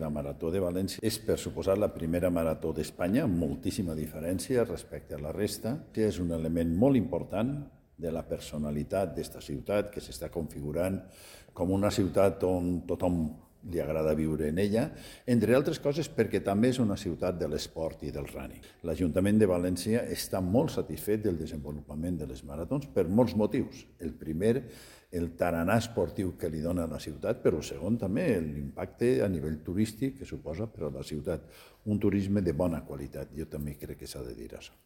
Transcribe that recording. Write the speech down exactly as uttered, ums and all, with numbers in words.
La Marató de València és, per suposar, la primera marató d'Espanya, amb moltíssima diferència respecte a la resta. És un element molt important de la personalitat d'esta ciutat, que s'està configurant com una ciutat on tothom li agrada viure en ella, entre altres coses perquè també és una ciutat de l'esport i del running. L'Ajuntament de València està molt satisfet del desenvolupament de les maratons per molts motius. El primer, el tarannà esportiu que li dona a la ciutat, però el segon també l'impacte a nivell turístic que suposa per a la ciutat un turisme de bona qualitat. Jo també crec que s'ha de dir això.